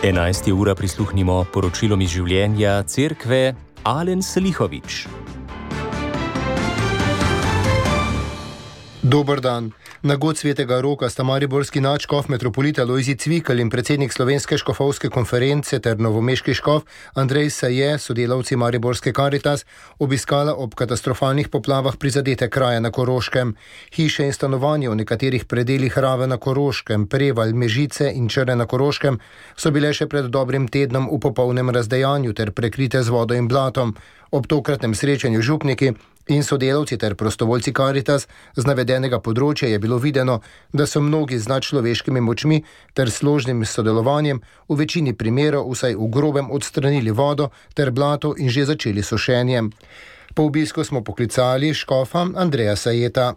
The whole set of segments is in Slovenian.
11. ura prisluhnimo poročilom iz življenja cerkve Alen Selihovič. Dober dan. Na god svetega Roka sta mariborski nadškof metropolita Lojzij Cvikl in predsednik Slovenske škofovske konference ter novomeški škof Andrej Saje, sodelavci mariborske Karitas, obiskala ob katastrofalnih poplavah prizadete kraje na Koroškem. Hiše in stanovanja v nekaterih predelih Rave na Koroškem, Prevalj, Mežice in Črne na Koroškem so bile še pred dobrim tednom v popolnem razdejanju ter prekrite z vodo in blatom. Ob tokratnem srečanju župniki in sodelavci ter prostovoljci Karitas z navedenega področja je bilo videno, da so mnogi z nadčloveškimi močmi ter složnim sodelovanjem v večini primerov vsaj v grobem odstranili vodo ter blato in že začeli sošenjem. Po obisku smo poklicali škofa Andreja Sajeta.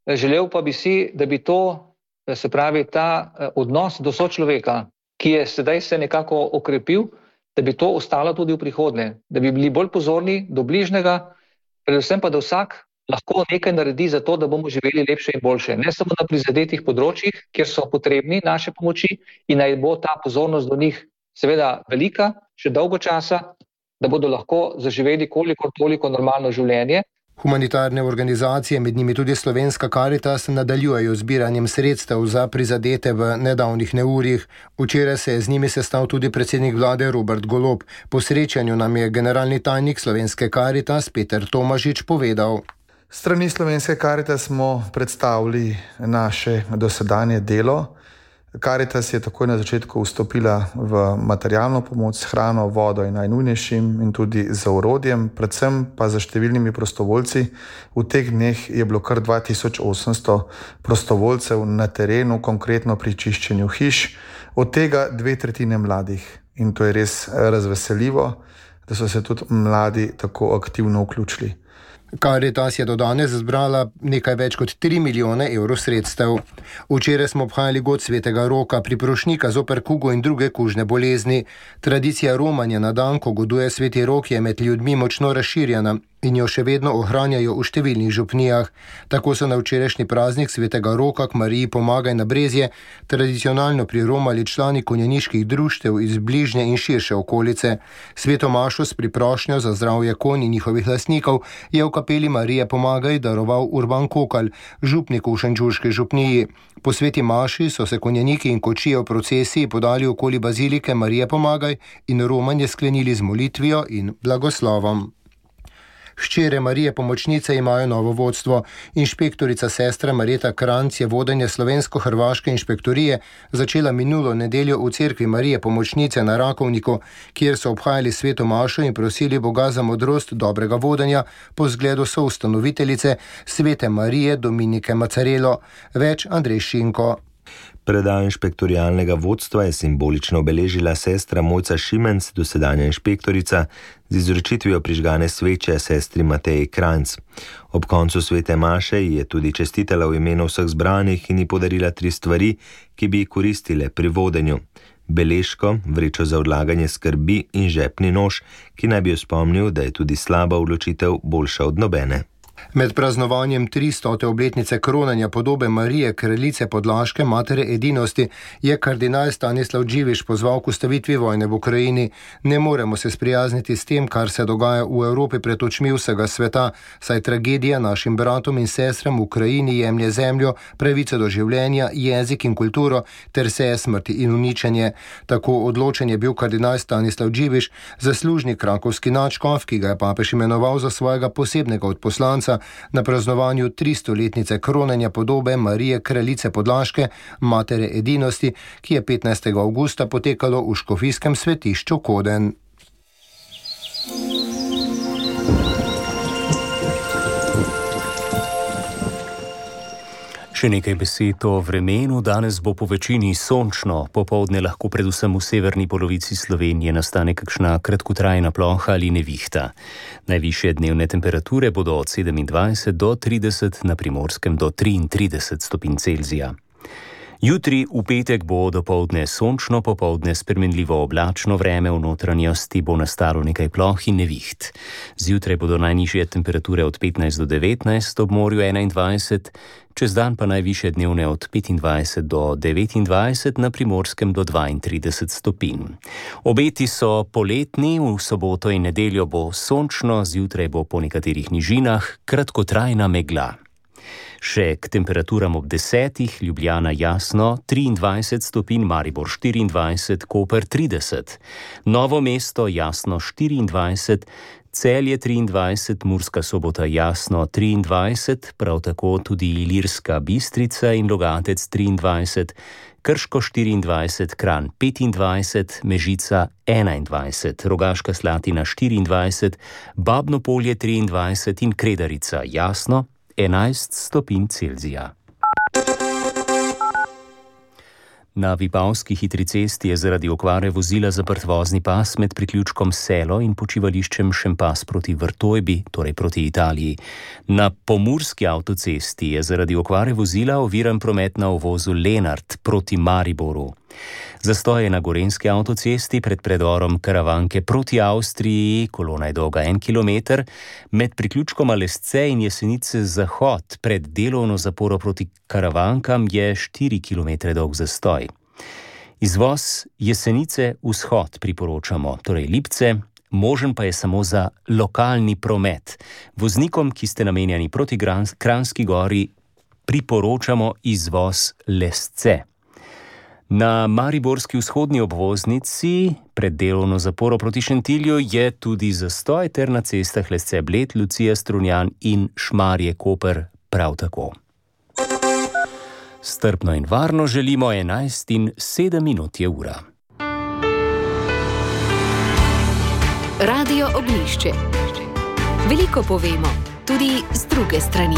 Želel pa bi si, da bi to, se pravi ta odnos do sočloveka, ki je sedaj se nekako okrepil, da bi to ostalo tudi v prihodnje, da bi bili bolj pozorni do bližnjega, predvsem pa, da vsak lahko nekaj naredi za to, da bomo živeli lepše in boljše. Ne samo na prizadetih področjih, kjer so potrebni naše pomoči in naj bo ta pozornost do njih seveda velika, še dolgo časa, da bodo lahko zaživeli kolikor toliko normalno življenje. Humanitarne organizacije, med njimi tudi Slovenska Karitas, nadaljujejo zbiranjem sredstev za prizadete v nedavnih neurjih. Včeraj se je z njimi sestal tudi predsednik vlade Robert Golob. Po srečanju nam je generalni tajnik Slovenske Karitas Peter Tomažič povedal. S strani Slovenske Karitas smo predstavili naše dosedanje delo. Karitas je takoj na začetku vstopila v materialno pomoč s hrano, vodo in najnujnejšim in tudi z orodjem, predvsem pa za številnimi prostovoljci. V teh dneh je bilo kar 2800 prostovoljcev na terenu, konkretno pri čiščenju hiš, od tega 2/3 mladih. In to je res razveseljivo, da so se tudi mladi tako aktivno vključili. Karitas je do danes zbrala nekaj več kot 3 milijone evrov sredstev. Včeraj smo obhajali god svetega Roka, priprošnika zoper kugo in druge kužne bolezni. Tradicija romanja na dan, ko goduje sveti Rok, je med ljudmi močno razširjena in jo še vedno ohranjajo v številnih župnijah. Tako so na včerajšnji praznik svetega Roka k Mariji Pomagaj na Brezje tradicionalno priromali člani konjeniških društev iz bližnje in širše okolice. Sveto mašo s priprošnjo za zdravje konj in njihovih lastnikov je v kapeli Marije Pomagaj daroval Urban Kokal, župnik v šenčurški župniji. Po sveti maši so se konjeniki in kočije v procesiji podali okoli bazilike Marije Pomagaj in romanje sklenili z molitvijo in blagoslovom. Hčere Marije Pomočnice imajo novo vodstvo. Inšpektorica sestra Marjeta Kranc je vodenje slovensko-hrvaške inšpektorije začela minulo nedeljo v cerkvi Marije Pomočnice na Rakovniku, kjer so obhajali sveto mašo in prosili Boga za modrost dobrega vodenja po zgledu soustanoviteljice svete Marije Dominike Macarelo. Več Andrej Šinko. Predaj inšpektorialnega vodstva je simbolično obeležila sestra Mojca Šimenc, dosedanja inšpektorica, z izročitvijo prižgane sveče sestri Mateji Kranc. Ob koncu svete maše je tudi čestitala v imenu vseh zbranih in ji podarila 3 stvari, ki bi ji koristile pri vodenju. Beležko, vrečo za odlaganje skrbi in žepni nož, ki naj bi jo spomnil, da je tudi slaba odločitev boljša od nobene. Med praznovanjem 300. obletnice kronanja podobe Marije Kraljice Podlaške, matere edinosti, je kardinal Stanislav Dživiš pozval k ustavitvi vojne v Ukrajini. Ne moremo se sprijazniti s tem, kar se dogaja v Evropi pred očmi vsega sveta, saj tragedija našim bratom in sestram v Ukrajini jemlje zemljo, pravico do življenja, jezik in kulturo ter seje smrti in uničenje. Tako odločen je bil kardinal Stanislav Dživiš, zaslužni krakovski nadškof, ki ga je papež imenoval za svojega posebnega odposlanca na praznovanju 300-letnice kronanja podobe Marije Kraljice Podlaške, matere edinosti, ki je 15. avgusta potekalo v škofijskem svetišču Koden. Še nekaj besed o vremenu. Danes bo po večini sončno, popoldne lahko predvsem v severni polovici Slovenije nastane kakšna kratkotrajna ploha ali nevihta. Najvišje dnevne temperature bodo od 27 do 30, na Primorskem do 33 stopinj Celzija. Jutri v petek bo dopoldne sončno, popoldne spremenljivo oblačno vreme, v notranjosti bo nastalo nekaj ploh in neviht. Zjutraj bodo najnižje temperature od 15 do 19, ob morju 21, čez dan pa najvišje dnevne od 25 do 29, na Primorskem do 32 stopinj. Obeti so poletni, v soboto in nedeljo bo sončno, zjutraj bo po nekaterih nižinah kratkotrajna megla. Še k temperaturam ob 10, Ljubljana jasno 23 stopinj, Maribor 24, Koper 30, Novo mesto jasno 24, Celje 23, Murska Sobota jasno 23, prav tako tudi Ilirska Bistrica in Logatec 23, Krško 24, Kranj 25, Mežica 21, Rogaška Slatina 24, Babno Polje 23 in Kredarica jasno 11 stopinj Celzija. Na Vipavski hitri cesti je zaradi okvare vozila zaprt vozni pas med priključkom Selo in počivališčem Šempas proti Vrtojbi, torej proti Italiji. Na Pomurski avtocesti je zaradi okvare vozila oviran promet na uvozu Lenart proti Mariboru. Zastoj je na Gorenjski avtocesti pred predorom Karavanke proti Avstriji, kolona je dolga 1 kilometer, med priključkom Alesce in Jesenice Zahod pred delovno zaporo proti Karavankam je 4 kilometre dolg zastoj. Izvoz Jesenice Vzhod priporočamo, torej Lipce, možen pa je samo za lokalni promet. Voznikom, ki ste namenjeni proti Kranjski Gori, priporočamo izvoz Lesce. Na mariborski vzhodni obvoznici pred delovno zaporo proti Šentilju je tudi zastoj ter na cestah Lesce Bled, Lucija Strunjan in Šmarje Koper prav tako. Strpno in varno želimo 11:07 je ura. Radio Ognjišče. Veliko povemo, tudi z druge strani.